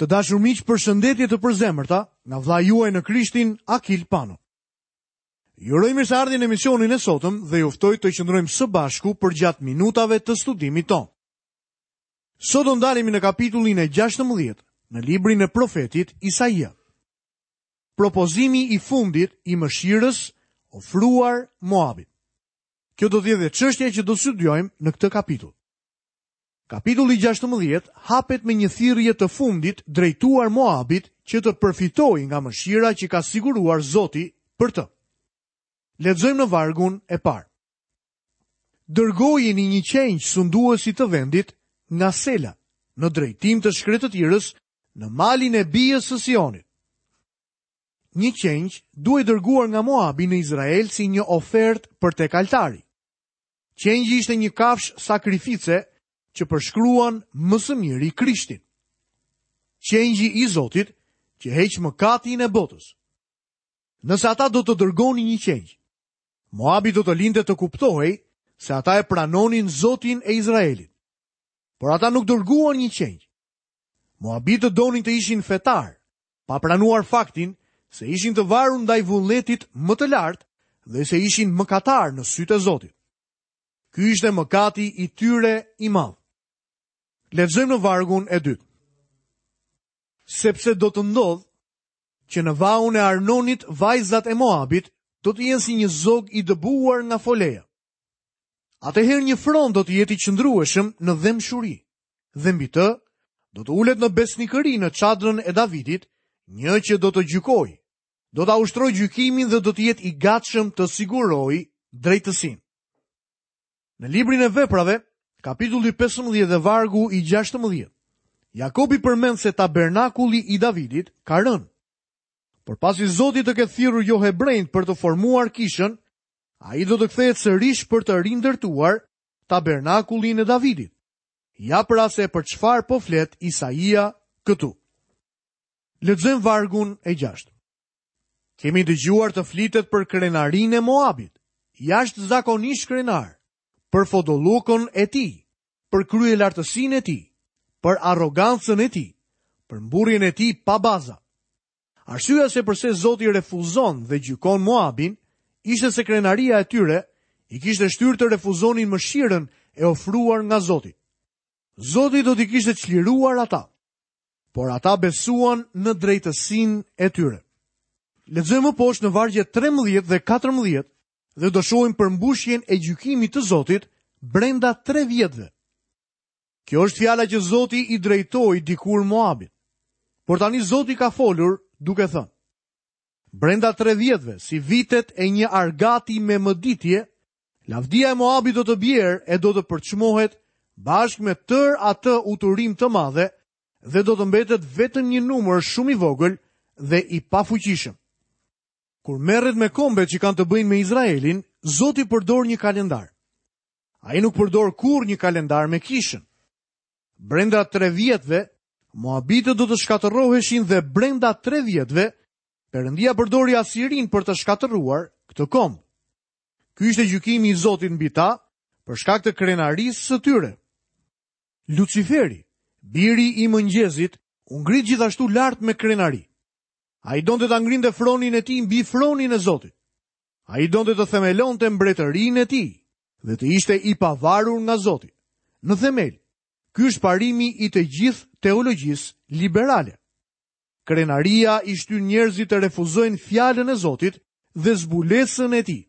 Të dashur miq, përshëndetje të përzemërta nga vëllai juaj në Krishtin, Akil Pano. Ju uroj mirëseardhjen në emisionin e sotëm dhe ju ftoj të qëndrojmë së bashku përgjatë minutave të studimit tonë. Sot do ndalemi në kapitullin e 16 në librin e profetit Isaia. Propozimi i fundit i mëshirës ofruar Moabit. Kjo do të jetë dhe çështja që do të studiojmë në këtë kapitull. Kapitulli 16 hapet me një thirrje të fundit drejtuar Moabit që të përfitojë nga mëshira që ka siguruar Zoti për të. Lexojmë në vargun e parë. Dërgojini një qengj sunduesit të vendit nga Sela, në drejtim të shkretëtirës në malin e bijës së Sionit. Një qengj duhej dërguar nga Moabi në Izrael si një ofertë për tek altari. Qengji ishte një kafshë sakrifice që përshkruan më së miri Krishtin. Qengji i Zotit që heq mëkatin e botës. Nëse ata do të dërgonin një qengj, Moabi do të linte të kuptohej se ata e pranonin Zotin e Izraelit. Por ata nuk dërguan një qengj. Moabitët donin të ishin fetarë, pa pranuar faktin se ishin të varur ndaj vullnetit më të lartë dhe se ishin mëkatarë në sytë e Zotit. Ky ishte mëkati i tyre i madh. Lexojmë në vargun e dytë. Sepse do të ndodhë që në vaun e Arnonit vajzat e Moabit do të jenë si një zog i dëbuar nga foleja. Atëherë një fron do të jetë i qëndrueshëm në dhembshuri dhe mbi të do të ulet në besnikëri në çadrën e Davidit, një që do të gjykojë, do ta ushtrojë gjykimin dhe do të jetë i gatshëm të sigurojë drejtësinë. Në librin e Veprave, kapitulli 15 dhe vargu i 16, Jakobi përmend se tabernakulli i Davidit ka rënë. Por pasi Zoti të ketë thirrur johebrenjtë për të formuar kishën, ai do të kthehet sërish për të rindërtuar tabernakullin e Davidit. Ja pra se për çfarë po flet Isaia këtu. Lexojmë vargun e 6. Kemi dëgjuar të flitet për krenarinë e Moabit, jashtëzakonisht krenar, për fodullukun e tij, për kryelartësinë e tij, për arrogancën e tij, për mburrjen e tij pa baza. Arsyeja se përse Zoti refuzon dhe gjykon Moabin ishte se krenaria e tyre i kishte shtyrë të refuzonin mëshirën e ofruar nga Zoti. Zoti do t'i kishte çliruar ata, por ata besuan në drejtësinë e tyre. Lexojmë më poshtë në vargjet 13 dhe 14 dhe do shohim përmbushjen e gjykimit të Zotit brenda 3 vjetëve. Kjo është fjala që Zoti i drejtoi dikur Moabit. Por tani Zoti ka folur duke thënë: Brenda 3 vjetëve, si vitet e një argati me mëditje, lavdia e Moabit do të bjerë e do të përçmohet bashkë me tërë atë uturim të madhe dhe do të mbetet vetëm një numër shumë i vogël dhe i pafuqishëm. Kur merret me kombet që kanë të bëjnë me Izraelin, Zoti përdor një kalendar. Ai nuk përdor kurrë një kalendar me kishën. Brenda 3 vjetëve, Moabitët do të shkatërroheshin dhe brenda 3 vjetëve, Perëndia përdori Asirinë për të shkatërruar këtë komb. Ky ishte gjykimi i Zotit mbi ta, për shkak të krenarisë së tyre. Luciferi, biri i mëngjezit, u ngrit gjithashtu lart me krenari. Ai donte ta ngrinte fronin e tij mbi fronin e Zotit. Ai donte të themelonte mbretërinë e tij dhe të ishte i pavarur nga Zoti. Në themel, ky është parimi i të gjithë teologjisë liberale. Krenaria i shtyn njerëzit të refuzojnë fjalën e Zotit dhe zbulesën e tij.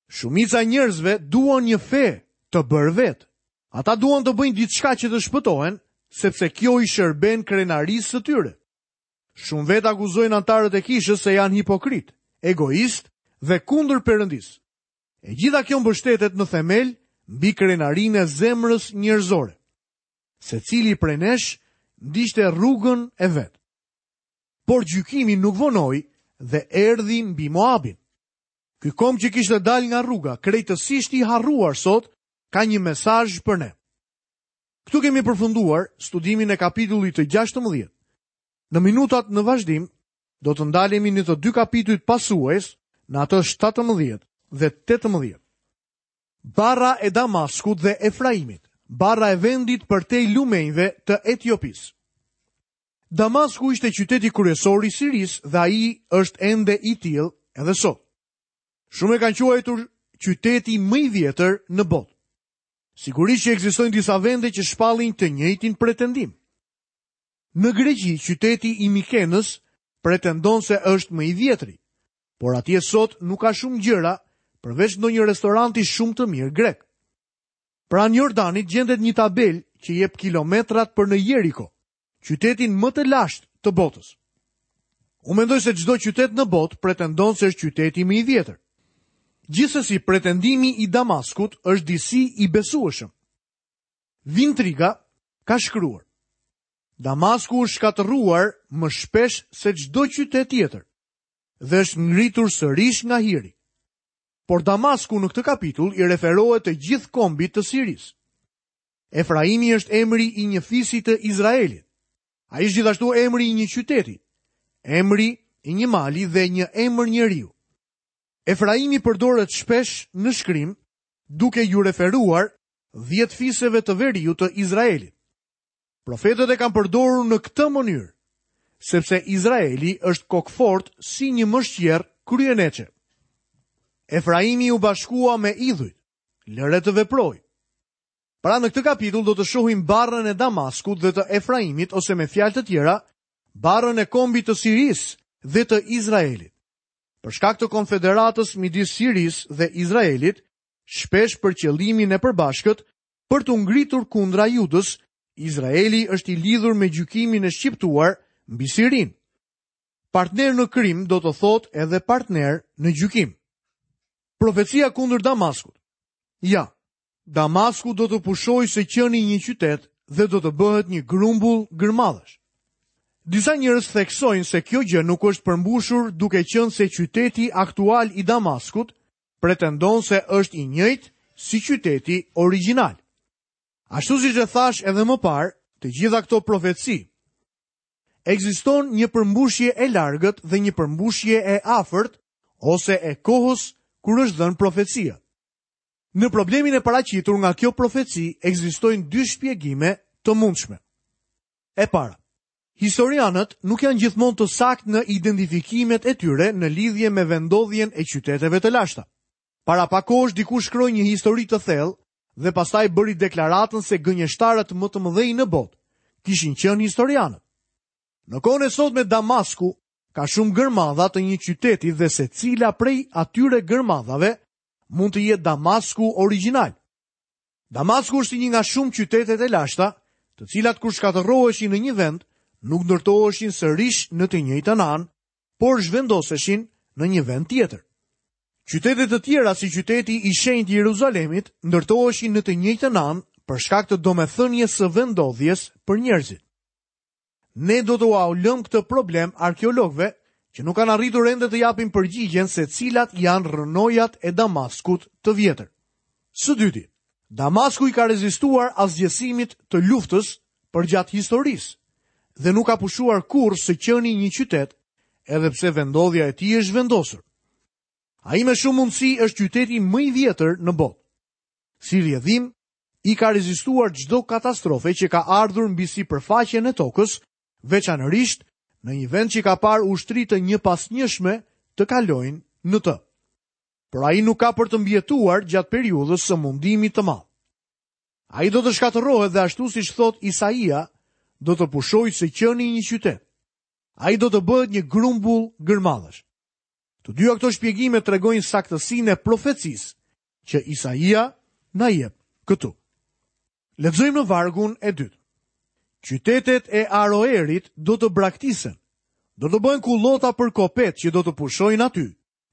Shumica e njerëzve duan një fe të bërë vetë. Ata duan të bëjnë diçka që të shpëtohen, sepse kjo i shërben krenarisë së tyre. Shumë vetë akuzojnë anëtarët e kishës se janë hipokritë, egoistë dhe kundër Perëndisë. E gjitha kjo mbështetet në themel mbi krenarinë e zemrës njerëzore. Secili prej nesh ndiqte rrugën e vet. Por gjykimi nuk vonoi dhe erdhi mbi Moabin. Ky komb që kishte dalë nga rruga, krejtësisht i harruar sot, ka një mesazh për ne. Këtu kemi përfunduar studimin e kapitullit të 16. Në minutat në vazhdim, do të ndalemi në të dy kapitujt pasues, në atë 17 dhe 18. Barra e Damaskut dhe Efraimit, barra e vendit përtej lumenjve të Etiopisë. Damasku ishte qyteti kryesor i Sirisë dhe ai është ende i tillë edhe sot. Shumë e kanë quajtur qyteti më i vjetër në botë. Sigurisht që ekzistojnë disa vende që shpallin të njëjtin pretendim. Në Greqi, qyteti i Mikenës pretendon se është më i vjetri, por atje sot nuk ka shumë gjëra përveç ndonjë restoranti shumë të mirë grek. Pranë Jordanit gjendet një tabelë që jep kilometrat për në Jeriko, qytetin më të lashtë të botës. Unë mendoj se çdo qytet në botë pretendon se është qyteti më i vjetër. Gjithsesi, pretendimi i Damaskut është disi i besueshëm. Vintriga ka shkruar: Damasku është shkatërruar më shpesh se çdo qytet tjetër dhe është ngritur sërish nga hiri. Por Damasku në këtë kapitull i referohet të gjithë kombit të Sirisë. Efraimi është emri i një fisi të Izraelit. Ai është gjithashtu emri i një qyteti, emri i një mali dhe një emër njeriu. Efraimi përdoret shpesh në shkrim duke iu referuar 10 fiseve të veriut të Izraelit. Profetët e kanë përdorur në këtë mënyrë, sepse Izraeli është kokëfortë si një mëshqerrë kryeneçe. Efraimi u bashkua me idhujt, lëre të veprojë. Pra në këtë kapitull do të shohim barrën e Damaskut dhe të Efraimit ose me fjalë të tjera, barrën e kombit të Sirisë dhe të Izraelit. Për shkak të konfederatës midis Sirisë dhe Izraelit, shpesh për qëllimin e përbashkët për t'u ngritur kundra Judës, Izraeli është i lidhur me gjykimin e shqiptuar mbi Sirinë. Partner në krim do të thotë edhe partner në gjykim. Profecia kundër Damaskut. Ja, Damasku do të pushojë së qeni një qytet dhe do të bëhet një grumbull gërmadhash. Disa njerëz theksojnë se kjo gjë nuk është përmbushur duke qenë se qyteti aktual i Damaskut pretendon se është i njëjtë si qyteti origjinal. Ashtu siç e thashë edhe më parë, të gjitha këto profeci ekziston një përmbushje e largët dhe një përmbushje e afërt ose e kohës kur është dhënë profecia. Në problemin e paraqitur nga kjo profeci ekzistojnë dy shpjegime të mundshme. E para, historianët nuk janë gjithmonë të saktë në identifikimet e tyre në lidhje me vendndodhjen e qyteteve të lashta. Para pak kohësh dikush shkroi një histori të thellë dhe pastaj bëri deklaratën se gënjeshtarët më të mëdhenj në botë kishin qenë historianët. Në kohën e sotme Damasku ka shumë gërmadha të një qyteti dhe secila prej atyre gërmadhave mund të jetë Damasku origjinal. Damasku është një nga shumë qytetet e lashta, të cilat kur shkatërroheshin në një vend, nuk ndërtoheshin sërish në të njëjtën anë, por zhvendoseshin në një vend tjetër. Qytete të tjera si qyteti i shenjtë i Jeruzalemit ndërtoheshin në të njëjtën anë për shkak të domethënies së vendndodhjes për njerëzit. Ne do t'ua lëmë këtë problem arkeologëve që nuk kanë arritur ende të japin përgjigjen se cilat janë rrënojat e Damaskut të vjetër. Së dyti, Damasku i ka rezistuar asgjësimit të luftës përgjatë historisë dhe nuk ka pushuar kurrë së qeni një qytet, edhe pse vendndodhja e tij është zhvendosur. Ai me shumë mundësi është qyteti më i vjetër në botë. Si rrjedhim, i ka rezistuar çdo katastrofe që ka ardhur mbi sipërfaqen e tokës, veçanërisht në një vend që ka parë ushtri të njëpasnjëshme të kalojnë në të. Por ai nuk ka për të mbijetuar gjatë periudhës së mundimit të madh. Ai do të shkatërrohet dhe ashtu siç thotë Isaia, do të pushojë së qeni një qytet. Ai do të bëhet një grumbull gërmadhash. Të dyja këto shpjegime tregojnë saktësinë e profecisë që Isaia na jep këtu. Lexojmë në vargun e dytë. Qytetet e Aroerit do të braktisen. Do të bëhen kullota për kopetë që do të pushojnë aty,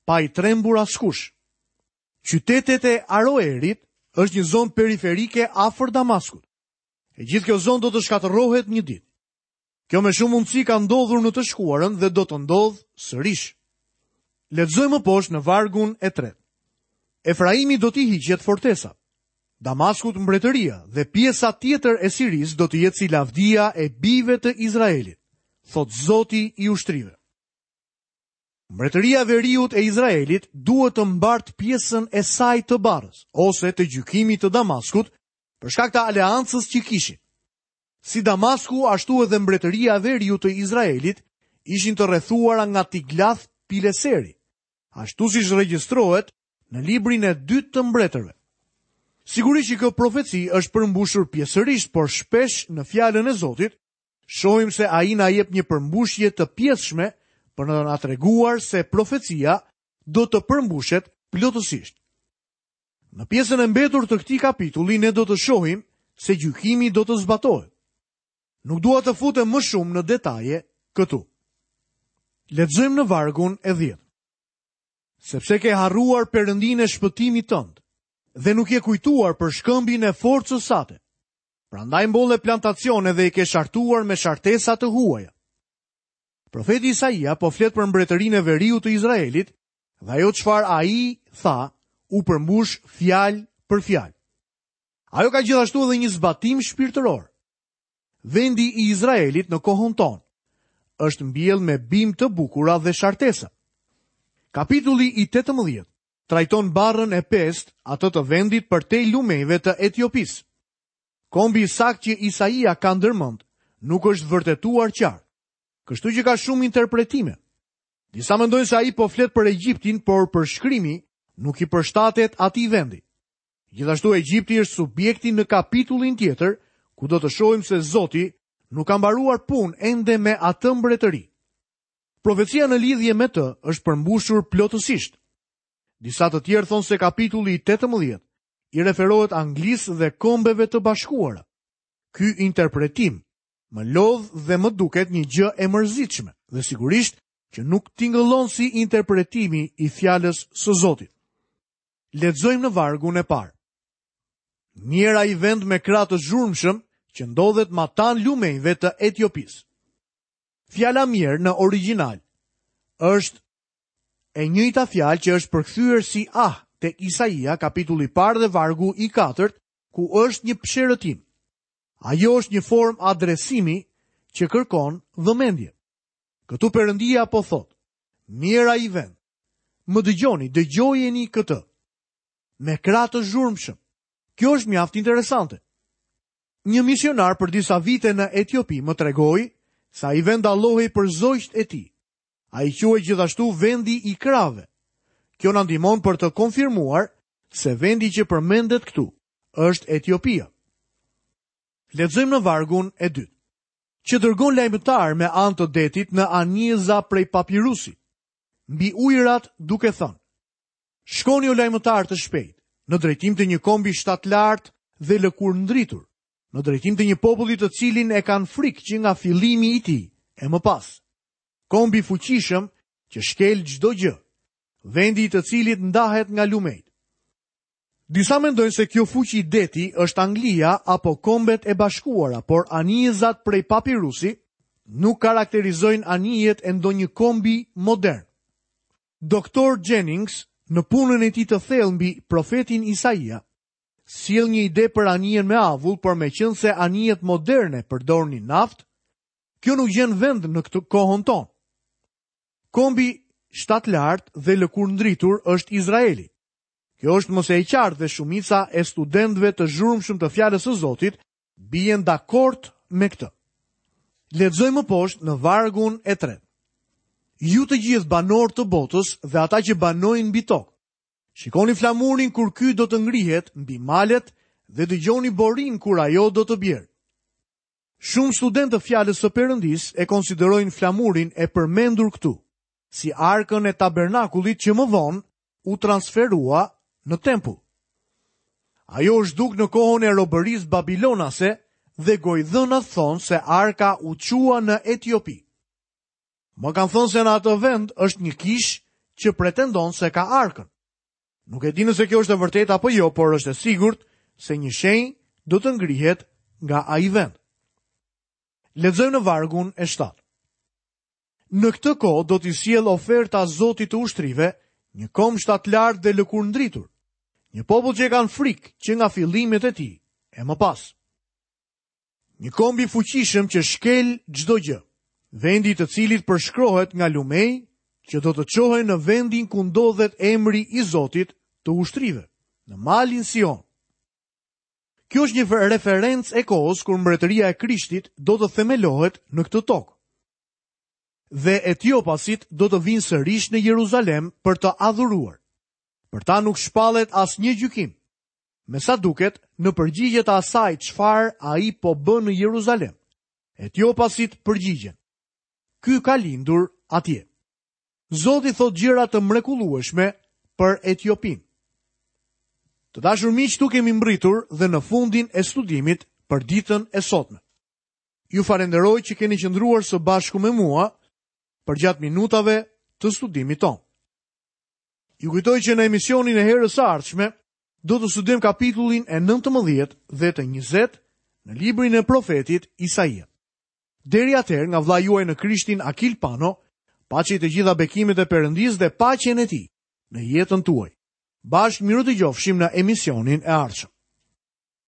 pa i trembur askush. Qytetet e Aroerit është një zonë periferike afër Damaskut. E gjithë kjo zonë do të shkatërrohet një ditë. Kjo me shumë mundësi ka ndodhur në të shkuarën dhe do të ndodhë sërish. Lexojmë më poshtë në vargun e tretë. Efraimit do t'i hiqet fortesa. Damaskut mbretëria dhe pjesa tjetër e Sirisë do të jetë si lavdia e bijve të Izraelit, thotë Zoti i ushtrive. Mbretëria e Veriut e Izraelit duhet të mbartë pjesën e saj të barrës ose të gjykimit të Damaskut për shkak të aleancës që kishin. Si Damasku, ashtu edhe mbretëria e veriut të Izraelit ishin të rrethuara nga Tiglath Pileseri, ashtu siç regjistrohet në librin e dytë të mbretërve. Sigurisht që kjo profeci është përmbushur pjesërisht, por shpesh në fjalën e Zotit shohim se ai na jep një përmbushje të pjesshme për të na treguar se profecia do të përmbushet plotësisht. Në pjesën e mbetur të këtij kapitulli ne do të shohim se gjykimi do të zbatohet. Nuk dua të futem më shumë në detaje këtu. Lexojmë në vargun e 10. Sepse ke harruar Perëndinë e shpëtimit tënd dhe nuk je kujtuar për shkëmbin e forcës sate. Prandaj mbolle plantacione dhe i ke shartuar me shartesa të huaja. Profeti Isaia po flet për mbretërinë e veriut të Izraelit dhe ajo çfarë ai tha u përmbush fjalë për fjalë. Ajo ka gjithashtu edhe një zbatim shpirtëror. Vendi i Izraelit në kohën tonë është mbjellë me bimë të bukura dhe shartesa. Kapitulli i 18 trajton barrën e pestë, atë të vendit përtej lumenjve të Etiopisë. Kombi i saktë që Isaia ka ndërmend nuk është vërtetuar qartë. Kështu që ka shumë interpretime. Disa mendojnë se ai po flet për Egjiptin, por përshkrimi nuk i përshtatet atij vendi. Gjithashtu Egjipti është subjekti në kapitullin tjetër, ku do të shohim se Zoti nuk ka mbaruar punë ende me atë mbretëri. Profecia në lidhje me të është përmbushur plotësisht. Disa të tjerë thonë se kapitulli i 18 i referohet Anglisë dhe Kombeve të Bashkuara. Ky interpretim më lodh dhe më duket një gjë e mërzitshme dhe sigurisht që nuk tingëllon si interpretimi i fjalës së Zotit. Lexojmë në vargun e parë. Mjerë ai vend me krahë të zhurmshëm që ndodhet matanë lumenjve të Etiopisë. Fjala mjerë në origjinal është e njëjta fjalë që është përkthyer si ah te Isaia kapitulli i parë dhe vargu i katërt, ku është një psherëtimë. Ajo është një formë adresimi që kërkon vëmendje. Këtu Perëndia po thotë, mjerë ai vend. Më dëgjoni, dëgjojeni këtë. Me krahë të zhurmshëm. Kjo është mjaft interesante. Një misionar për disa vite në Etiopi më tregoi se ai vend dallohej për zogjtë e tij. Ai quhej gjithashtu vendi i krahëve. Kjo na ndihmon për të konfirmuar se vendi që përmendet këtu është Etiopia. Lexojmë në vargun e dytë. Që dërgon lajmëtarë me anë të detit në anijëza prej papirusi, mbi ujërat duke thënë: Shkoni o lajmëtarë të shpejtë, në drejtim të një kombi shtatlartë dhe lëkurëndritur, në drejtim të një populli të cilin e kanë frikë që nga fillimi i tij e më pas. Komb i fuqishëm që shkel çdo gjë, vendi i të cilit ndahet nga lumenjtë. Disa mendojnë se kjo fuqi deti është Anglia apo Kombet e Bashkuara, por anijëzat prej papirusi nuk karakterizojnë anijet e ndonjë kombi modern. Doktor Jennings, në punën e tij të thellë mbi profetin Isaia, sjell një ide për anijen me avull, por meqenëse anijet moderne përdornin naftë, kjo nuk gjen vend në këtë kohën tonë. Kombi shtatlartë dhe lëkurëndritur është Izraeli. Kjo është më se e qartë dhe shumica e studentëve të zhurmshëm të fjalës së Zotit bien dakord me këtë. Lexojmë më poshtë në vargun e tretë. Ju të gjithë banorë të botës dhe ata që banojnë mbi tokë, shikoni flamurin kur ky do të ngrihet mbi malet dhe dëgjoni borinë kur ajo do të bjerë. Shumë studentë të fjalës së Perëndisë e konsiderojnë flamurin e përmendur këtu si arkën e tabernakullit që më vonë u transferua në tempull. Ajo u zhduk në kohën e robërisë babilonase dhe gojëdhënat thonë se arka u çua në Etiopi. Më kanë thënë se në atë vend është një kishë që pretendon se ka arkën. Nuk e di nëse kjo është e vërtetë apo jo, por është e sigurt se një shenjë do të ngrihet nga ai vend. Lexojmë në vargun e 7. Në këtë kohë do t'i sjellë oferta Zotit të ushtrive, një komb shtatlartë dhe lëkurëndritur, një popull që e kanë frikë që nga fillimet e tij e më pas. Një komb i fuqishëm që shkel çdo gjë, vendi i të cilit përshkrohet nga lumenj që do të çohen në vendin ku ndodhet emri i Zotit të ushtrive, në malin Sion. Kjo është një referencë e kohës kur mbretëria e Krishtit do të themelohet në këtë tokë. Dhe etiopasit do të vijnë sërish në Jeruzalem për të adhuruar. Për ta nuk shpallet asnjë gjykim. Me sa duket, në përgjigje të asaj çfarë ai po bën në Jeruzalem, etiopasit përgjigjen. Ky ka lindur atje. Zoti thotë gjëra të mrekullueshme për Etiopinë. Të dashur miq, këtu kemi mbërritur dhe në fundin e studimit për ditën e sotme. Ju falenderoj që keni qëndruar së bashku me mua përgjatë minutave të studimit tonë. Ju kujtoj që në emisionin e herës së ardhshme do të studiojmë kapitullin e 19 dhe të 20 në librin e profetit Isaia. Deri atëherë nga vëllai juaj në Krishtin Akil Pano, paçi të gjitha bekimet e Perëndisë dhe paqen e tij në jetën tuaj. Bashkë mirudëgjofshim në emisionin e ardhshëm.